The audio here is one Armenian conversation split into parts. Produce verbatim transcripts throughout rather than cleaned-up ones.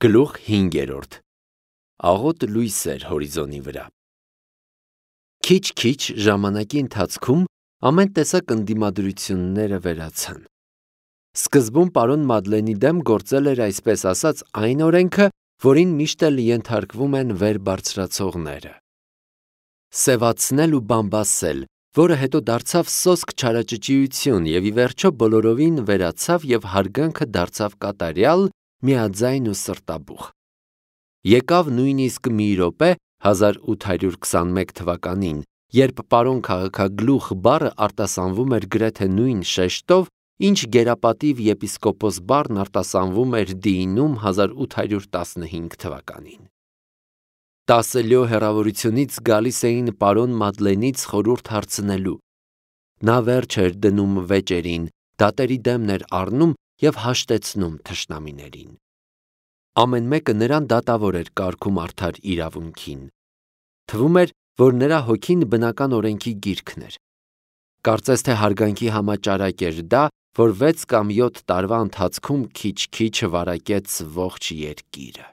Գլուխ հինգերորդ. Աղոտ լույսեր հորիզոնի վրա։ Քիչ-քիչ ժամանակի ընթացքում ամեն տեսակ ընդդիմադրությունները վերացան։ Սկզբում պարոն Մադլենի դեմ գործել էր այսպես ասած այն օրենքը, որին միշտ էլ ենթարկվում են վեր բարձրացողները։ Սևացնել ու բամբասել, որը հետո դարձավ սոսկ չարաճճիություն և ի վերջո բոլորովին վերացավ և հարգանքը դարձավ կատարյալ, միաձայն ու սրտաբուխ։ Եկավ նույնիսկ մի րոպե հազար ութ հարյուր քսանմեկ թվականին, երբ պարոն քաղաքագլուխ բառը արտասանվում էր գրեթե նույն շեշտով, ինչ գերապատիվ եպիսկոպոս բառն արտասանվում էր դիինում հազար ութ հարյուր տասնհինգ թվականին։ Տասը լյո հեռավորությունից գալիս էին պարոն Մադլենից խորհուրդ հարցնելու։ Նա վերջ էր դնում վեճերին, դատերի դեմն էր առնում և հաշտեցնում թշնամիներին։ Ամեն մեկը նրան դատավոր էր կարգում արդար իրավունքին։ Թվում էր, որ նրա հոգին բնական օրենքի գիրքն էր։ Կարծես թե հարգանքի համաճարակ էր դա, որ վեց կամ յոթ տարվա ընթացքում քիչ-քիչ վարակեց ողջ երկիրը։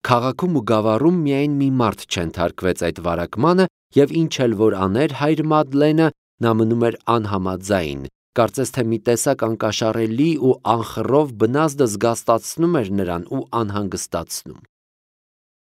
Քաղաքում ու գավառում միայն մի մարդ չենթարկվեց այդ վարակմանը, և ինչ էլ որ աներ հայր Մադլենը, նա մնում էր անհամաձայն, կարծես թե մի տեսակ անկաշառելի ու անխռով բնազդը զգաստացնում էր նրան ու անհանգստացնում։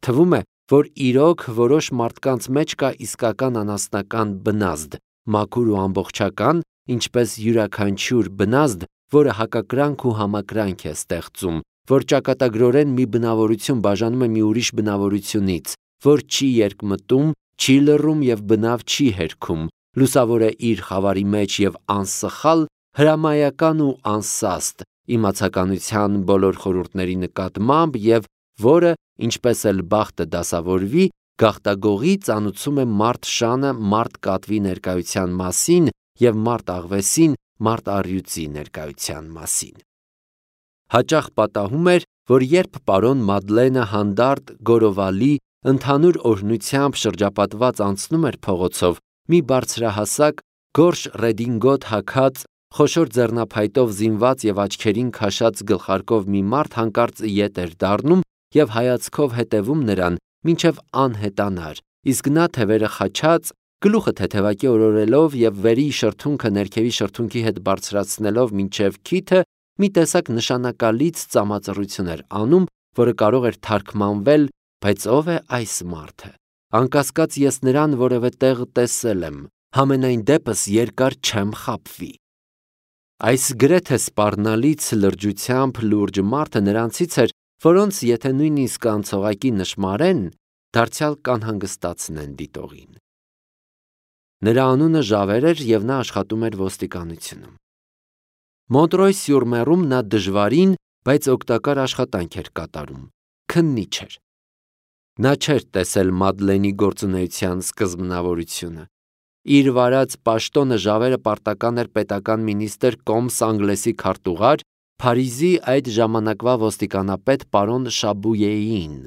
Թվում է, որ իրոք որոշ մարդկանց մեջ կա իսկական անասնական բնազդ, մաքուր ու ամբողջական, ինչպես յուրաքանչյուր բնազդ, որը հակակրանք ու համակրանք է ստեղծում, որ ճակատագրորեն մի բնավորություն բաժանում է մի ուրիշ բնավորությունից, որ չի երկմտում, չի լռում և բնավ չի հերքում, լուսավոր է իր խավարի մեջ և անսխալ, հրամայական ու անսաստ, իմացականության բոլոր խորհուրդների նկատմամբ և որը, ինչպես էլ բախտը դասավորվի, գաղտագողի ծանուցում է մարդ շանը մարդ կատվի ներկայության մասին և մարդ աղվեսին մարդ առյուծի ներկայության մասին։ Հաճախ պատահում էր, որ երբ պարոն Մադլենը հանդարտ, գորովալի, ընդհանուր օրհնությամբ շրջապատված անցնում էր փողոցով, մի բարձրահասակ, գորշ ռեդինգոտ հագած, խոշոր ձեռնափայտով զինված և աչքերին քաշած գլխարկով մի մարդ հանկարծ ետ էր դառնում և հայացքով հետևում նրան, մինչև անհետանար, իսկ նա թևերը խաչած, գլուխը թեթևակի օրորելով և վերի շրթունքը ներքևի շրթունքի հետ բարձրացնելով մինչև քիթը, մի տեսակ նշանակալից ծամածռություն էր անում, որը կարող էր թարգմանվել. «Բայց ո՞վ է այս մարդը, անկասկած ես նրան որևէ տեղ տեսել եմ, համենայն դեպս երկար չեմ խաբվի»։ Այս գրեթե սպառնալից լրջությամբ լուրջ մարդը նրանցից էր, որոնց եթե նույնիսկ անցողակի նշմարեն, դարձյալ կանհանգստացնեն դիտողին։ Նրա անունը Ժավեր էր և նա աշխատում էր ոստիկանությունում։ Մոնտրոյ-սյուր-Մերում նա դժվարին, բայց օգտակար աշխատանք էր կատարում, քննիչ էր։ Նա չէր տեսել Մադլենի գործունեության սկզբնավորությունը։ Իր վարած պաշտոնը Ժավերը պարտական էր պետական մինիստր կոմս Անգլեսի քարտուղար, Փարիզի այդ ժամանակվա ոստիկանապետ պարոն Շաբույեին։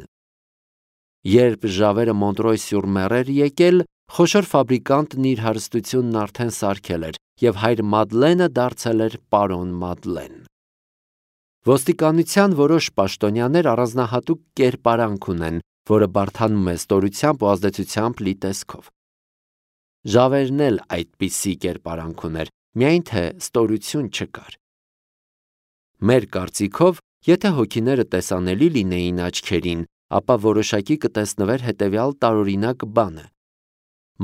Երբ Ժավերը Մոնտրոյ-սյուր-Մեր էր եկել, խոշոր ֆաբրիկանտն իր հարստությունն արդեն սարքել էր, և հայր Մադլենը դարձել էր պարոն Մադլեն։ Ոստիկանության որոշ պաշտոնյաներ առանձնահատուկ կերպարանք ունեն, որը բարդանում է ստորությամբ ու ազդեցությամբ լի տեսքով։ Ժավերն էլ այդպիսի կերպարանք ուներ, միայն թե ստորություն չկար։ Մեր կարծիքով, եթե հոգիները տեսանելի լինեին աչքերին, ապա որոշակի կտեսնվեր հետևյալ տարօրինակ բանը.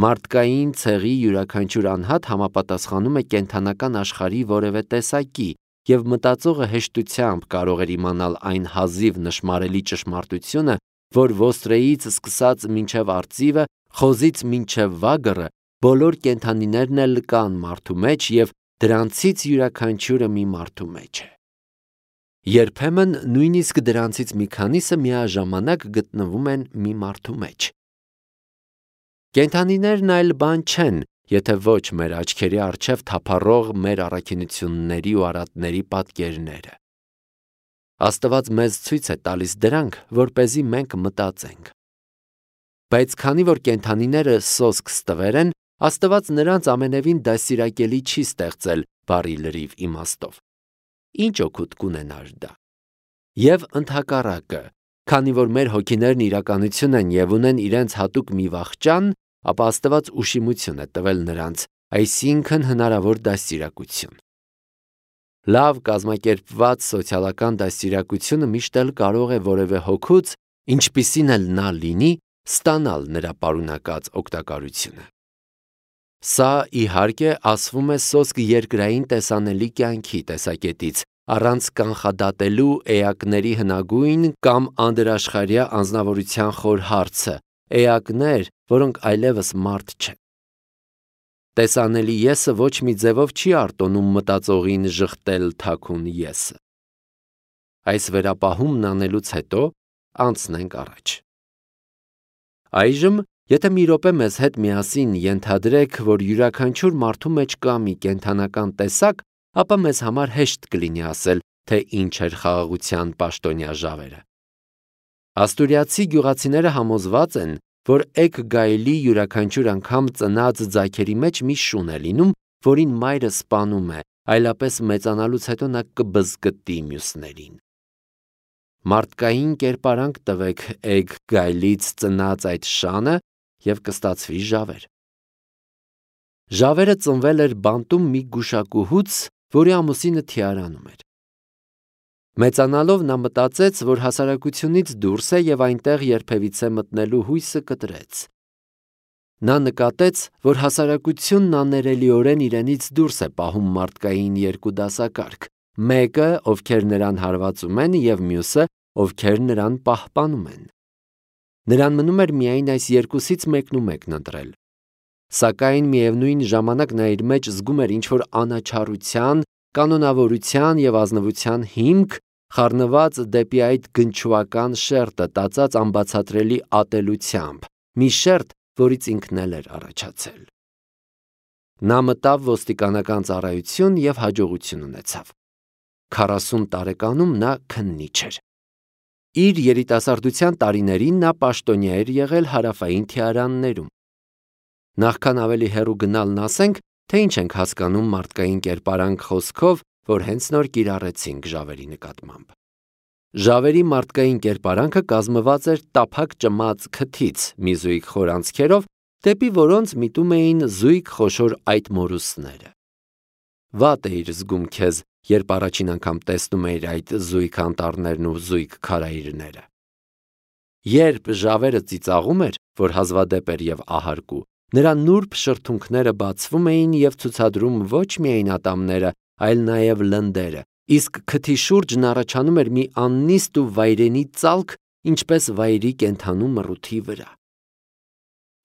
մարդկային ցեղի յուրաքանչյուր անհատ համապատասխանում է կենդանական աշխարհի որևէ տեսակի, և մտածողը հեշտությամբ կարող էր իմանալ այն հազիվ նշմարելի ճշմարտությունը, որ ոստրեից սկսած մինչև արծիվը, խոզից մինչև վագրը, բոլոր կենդանիներն էլ կան մարդու մեջ և դրանցից յուրաքանչյուրը մի մարդու մեջ է։ Երբեմն նույնիսկ դրանցից մի քանիսը միաժամանակ գտնվում են մի մարդու մեջ։ Կենդանիներն այլ բան չեն, եթե ոչ մեր աչքերի առջև թափառող մեր առաքինությունների ու արատների պատկերները։ Աստված մեզ ցույց է տալիս դրանք, որպեսզի մենք մտածենք։ Բայց քանի որ կենդանիները սոսկ ստվեր են, Աստված նրանց ամենևին դաստիարակելի չի ստեղծել բառի լրիվ իմաստով։ Ինչ օգուտ կունենար դա։ Եվ ընդհակառակը, քանի որ մեր հոգիներն իրականություն են և ունեն իրենց հատուկ մի վախճան, ապա Աստված ուշիմություն է տվել նրանց, այսինքն հնարավոր դաստիարակություն։ Լավ կազմակերպված սոցիալական դաստիարակությունը միշտ էլ կարող է որևէ հոգուց, ինչպիսին էլ նա լինի, ստանալ նրա պարունակած օգտակարությունը։ Սա, իհարկե, ասվում է սոսկ երկրային տեսանելի կյանքի տեսակետից, առանց կանխադատելու էակների հնագույն կամ անդրաշխարհյա անձնավորության խոր հարցը, էակներ, որոնք այլևս մարդ չեն։ Տեսանելի եսը ոչ մի ձևով չի արտոնում մտածողին ժխտել թաքուն եսը։ Այս վերապահումն անելուց հետո անցնենք առաջ։ Այժմ, եթե մի րոպե մեզ հետ միասին ենթադրեք, որ յուրաքանչյուր մարդու մեջ կա մի կենդանական տեսակ, ապա մեզ համար հեշտ կլինի ասել, թե ինչ էր խաղաղության պաշտոնյա Ժավերը։ Աստուրիացի գյուղացիները համոզված են, որ էգ գայլի յուրաքանչյուր անգամ ծնած ձագերի մեջ մի շուն է լինում, որին մայրը սպանում է, այլապես մեծանալուց հետո նա կբզկտի մյուսներին։ Մարդկային կերպարանք տվեք էգ գայլից ծնած այդ շանը և կստացվի Ժավեր։ Ժավերը ծնվել էր բանտում մի գուշակուհուց, որի ամուսինը թիարանում էր։ Մեծանալով նա մտածեց, որ հասարակությունից դուրս է և այնտեղ երբևիցե մտնելու հույսը կտրեց։ Նա նկատեց, որ հասարակությունն աներելիորեն իրենից դուրս է պահում մարդկային երկու դասակարգ, մեկը, ովքեր նրան հարվածում են, և մյուսը, ովքեր նրան պահպանում են։ Նրան մնում էր միայն այս երկուսից մեկնումեկն ընտրել։ Սակայն միևնույն ժամանակ նա իր մեջ զգում էր ինչ-որ անաչառության, կանոնավորության և ազնվության հիմք, խառնված դեպի այդ գնչուական շերտը տածած անբացատրելի ատելությամբ, մի շերտ, որից ինքն էլ էր առաջացել։ Նա մտավ ոստիկանական ծառայություն և հաջողություն ունեցավ։ Քառասուն տարեկանում նա քննիչ էր։ Իր երիտասարդության տարիներին նա պաշտոնյա էր եղել հարավային թիարաններում։ Նախքան ավելի հեռու գնալն ասենք, թե ինչ ենք հասկանում մարդկային կերպարանք խոսքով, որ հենց նոր կիրառեցինք Ժավերի նկատմամբ։ Ժավերի մարդկային կերպարանքը կազմված էր տափակ ճմած քթից, մի զույգ խորանցքերով, դեպի որոնց միտում էին զույգ խոշոր այտմորուսները։ Վատ էիր զգում քեզ, երբ առաջին անգամ տեսնում էիր այդ զույգ անտառներն ու զույգ քարայրները։ Երբ Ժավերը ծիծաղում էր, որ հազվադեպ էր և ահարկու, նրա նուրբ շրթունքները բացվում էին և ցուցադրում ոչ միայն ատամները, այլ նաև լնդերը, իսկ քթի շուրջն առաջանում էր մի աննիստ ու վայրենի ծալք, ինչպես վայրի կենդանու մռութի վրա։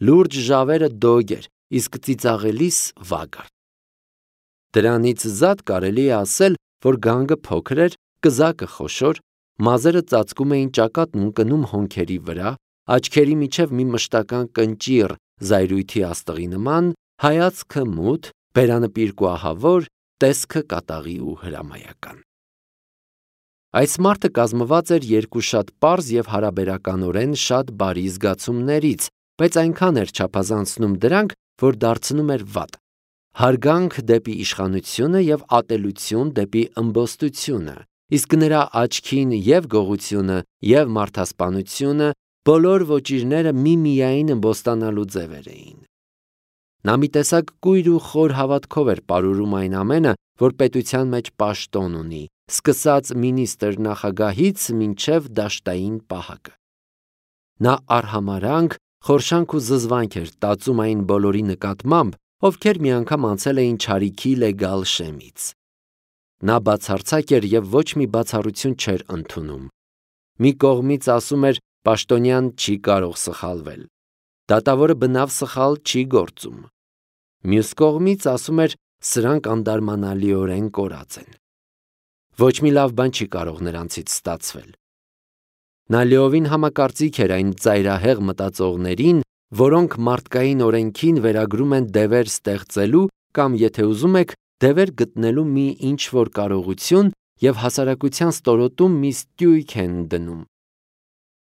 Լուրջ Ժավերը դոգ էր, իսկ ծիծաղելիս վագարդ։ Դրանից զատ կարելի է ասել, որ գանգը փոքր էր, կզակը խոշոր, մազերը ծածկում էին ճակատն ու ընկնում հոնքերի վրա, աչքերի միջև մի մշտական կնճիռ զայրույթի աստղի նման, հայացքը մութ, բերանը պիրկուահավոր, տեսքը կատաղի ու հրամայական։ Այս մարդը կազմված էր երկու շատ պարզ և հարաբերականորեն շատ բարի զգացումներից, բայց այնքան էր չափազանցնում դրանք, որ դարձնում էր վատ։ Հարգանք դեպի իշխանությունը և ատելություն դեպի ըմբոստությունը, իսկ նրա աչքին և գողությունը, և մարդասպանությունը, բոլոր ոճիրները միմիայն ըմբոստանալու ձևեր էին։ Նա մի տեսակ կույր ու խոր հավատքով էր պարուրում այն ամենը, որ պետության մեջ պաշտոն ունի, սկսած մինիստրի նախագահից մինչև դաշտային պահակը։ Նա արհամարհանք, խորշանք ու զզվանք էր տածում այն բոլորի նկատմամբ, ովքեր մի անգամ անցել էին չարիքի լեգալ շեմից։ Նա բացարձակ էր և ոչ մի բացառություն չէր ընդունում։ Մի կողմից ասում էր պաշտոնյան չի կարող սխալվել, դատավորը բնավ սխալ չի գործում։ Մյուս կողմից ասում էր սրանք անդարմանալիորեն կորած են։ Ոչ մի լավ բան չի կարող նրանցից ստացվել։ Նա լիովին համակարծիք էր այն ծայրահեղ մտածողներին, որոնք մարդկային օրենքին վերագրում են դևեր ստեղծելու կամ, եթե ուզում եք, դևեր գտնելու մի ինչ-որ կարողություն և հասարակության ստորոտում մի ստույգ են դնում։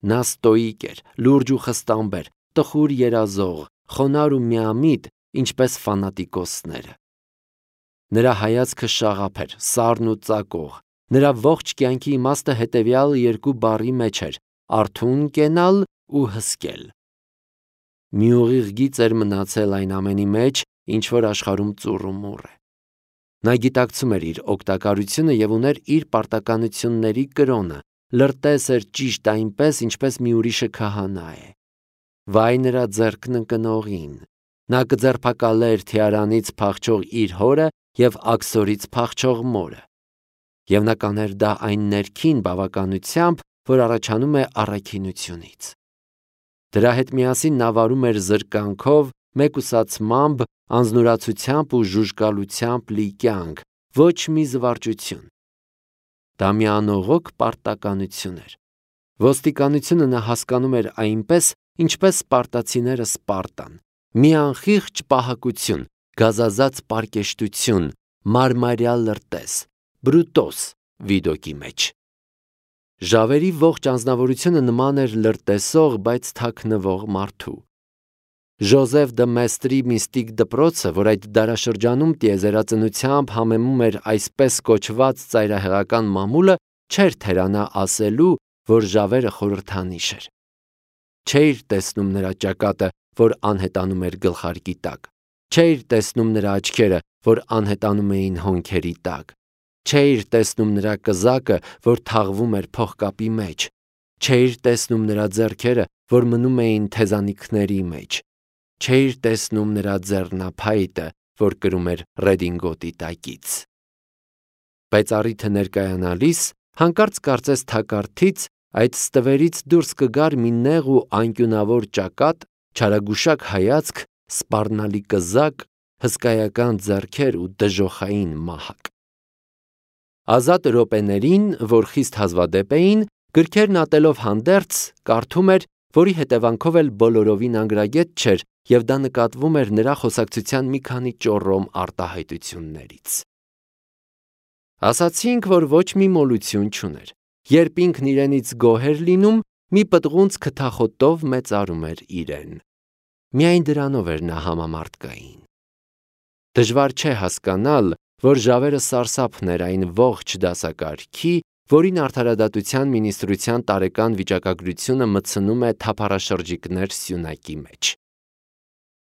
Նա ստոիկ էր, լուրջ ու խստամբեր, տխուր երազող, խոնարհ ու միամիտ, ինչպես ֆանատիկոսները։ Նրա հայացքը շաղափ էր, սառն ու ծակող, Նրա ողջ կյանքի իմաստը հետևյալ երկու բառի մեջ էր՝ արթուն կենալ ու հսկել։ Մի ուղիղ գիծ էր մնացել այն ամենի մեջ, ինչ որ աշխարհում ծուռ ու մուռ է։ Նա գիտակցում էր իր օգտակարությունը և ուներ իր պարտականությունների կրոնը, լրտես էր ճիշտ այնպես, ինչպես մի ուրիշը քահանա է։ Վայ նրա ձեռքն ընկնողին։ Նա կձերբակալեր թիարանից փախչող իր հորը և աքսորից փախչող մորը։ Եվ նա կաներ դա այն ներքին բավականությամբ, որ առաջանում է առաքինությունից։ Դրա հետ միասին նա վարում էր զրկանքով, մեկուսացմամբ, անձնուրացությամբ ու ժուժկալությամբ լի կյանք, ոչ մի զվարճություն։ Դա մի անողոք պարտականություն էր։ Ոստիկանությունը նա հասկանում էր այնպես, ինչպես սպարտացիները Սպարտան, մի անխիղճ պահակություն, գազազած պարկեշտություն, մարմարյա լրտես, բրուտոս Վիդոկի մեջ։ Ժավերի ողջ անձնավորությունը նման էր լրտեսող, բայց թաքնվող մարդու։ Ժոզեֆ դը Մեստրի միստիկ դպրոցը, որ այդ դարաշրջանում տիեզերածնությամբ համեմում էր այսպես կոչված ծայրահեղական մամուլը, չէր թերանա ասելու, որ Ժավերը խորհրդանիշ էր։ Չէիր տեսնում նրա ճակատը, որ անհետանում էր գլխարկի տակ։ Չէիր տեսնում նրա աչքերը, որ անհետանում էին հոնքերի տակ։ Չէիր տեսնում նրա կզակը, որ թաղվում էր փողկապի մեջ։ Չէիր տեսնում նրա ձեռքերը, որ մնում էին թեզանիքների մեջ։ Չէիր տեսնում նրա ձեռնափայտը, որ կրում էր ռեդինգոտի տակից։ Բայց առիթը ներկայանալիս, հանկարծ կարծես թակարդից այդ ստվերից դուրս կգար մի նեղ ու անկյունավոր ճակատ, չարագուշակ հայացք, սպառնալի կզակ, հսկայական ձեռքեր ու դժոխային մահակ։ Ազատ րոպեներին, որ խիստ հազվադեպ էին, գրքերն ատելով հանդերձ, կարդում էր, որի հետևանքով էլ բոլորովին անգրագետ չէր, և դա նկատվում էր նրա խոսակցության մի քանի ճոռոմ արտահայտություններից։ Ասացինք, որ ոչ մի մոլություն չուներ։ Երբ ինքն իրենից գոհ էր լինում, մի պտղունց քթախոտով մեծարում էր իրեն։ Միայն դրանով էր նա համամարտկային։ Դժվար չէ հասկանալ, որ Ժավերը սարսափն էր այն ողջ դասակարգի, որին արդարադատության մինիստրության տարեկան վիճակագրությունը մտցնում է թափառաշրջիկներ սյունակի մեջ։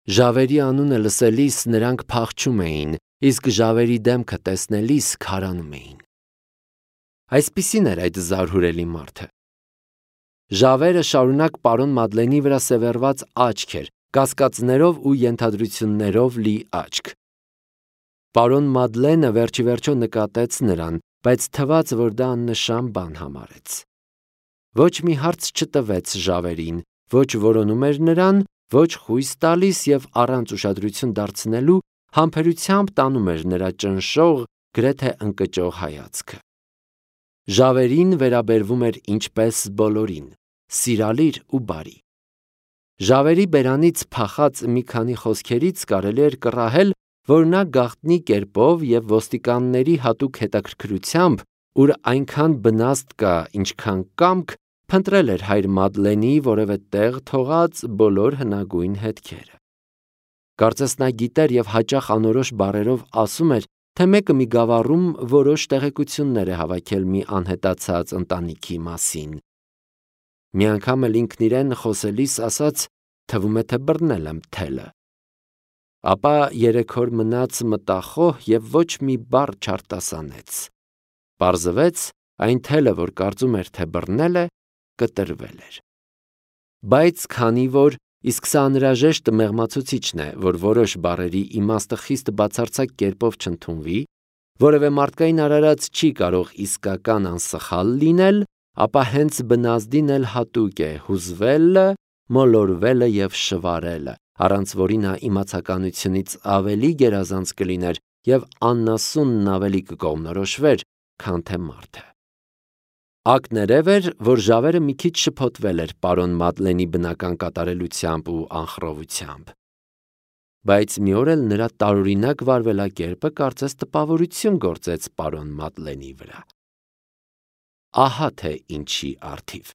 Ժավերի անունը լսելիս նրանք փախչում էին, իսկ Ժավերի դեմքը տեսնելիս քարանում էին։ Այսպիսին էր այդ զարհուրելի մարդը։ Ժավերը շարունակ պարոն Մադլենի վրա սևեռված աչք էր, կասկածներով ու ենթադրություններով լի աչք։ Պարոն Մադլենը վերջիվերջո նկատեց նրան, բայց թվաց, որ դա աննշան բան համարեց։ Ոչ մի հարց չտվեց Ժավերին, ոչ որոնում էր նրան, ոչ խույս տալիս և առանց ուշադրություն դարձնելու համբերությամբ տանում էր նրա ճնշող, գրեթե ընկճող հայացքը։ Ժավերին վերաբերվում էր ինչպես բոլորին, սիրալիր ու բարի։ Ժավերի բերանից փախած մի քանի խոսքերից կարելի էր կռահել, որ նա գաղտնի կերպով և ոստիկանների հատուկ հետաքրքրությամբ, ուր այնքան բնաստ կա, ինչքան կամք, փնտրել էր հայր Մադլենի որևէ տեղ թողած բոլոր հնագույն հետքերը։ Կարծես նա գիտեր և հաճախ անորոշ բառերով ասում էր, թե մեկը մի գավառում որոշ տեղեկություններ է հավաքել մի անհետացած ընտանիքի մասին։ Մի անգամ էլ ինքն իրեն խոսելիս ասաց, թվում է, թե բռնել եմ թելը։ Ապա երեք օր մնաց մտախոհ և ոչ մի բառ չարտասանեց։ Պարզվեց, այն թելը, որ կարծում էր, թե բռնել է, կտրվել էր։ Բայց քանի որ, իսկ սա անհրաժեշտ մեղմացուցիչն է, որ որոշ բառերի իմաստը խիստ բացարձակ կերպով չընդունվի, որևէ մարդկային արարած չի կարող իսկական անսխալ լինել, ապա հենց բնազդին էլ հատուկ է հուզվելը, մոլորվելը և շվարելը, առանց որի նա իմացականությունից ավելի գերազանց կլիներ և աննասունն ավելի կկողմնորոշվեր, քան թե մարդը։ Ակներև էր, որ Ժավերը մի քիչ շփոթվել էր պարոն Մադլենի բնական կատարելությամբ ու անխռովությամբ։ Բայց մի օր էլ նրա տարօրինակ վարվելակերպը կարծես տպավորություն գործեց պարոն Մադլենի վրա։ Ահա թե ինչի առթիվ։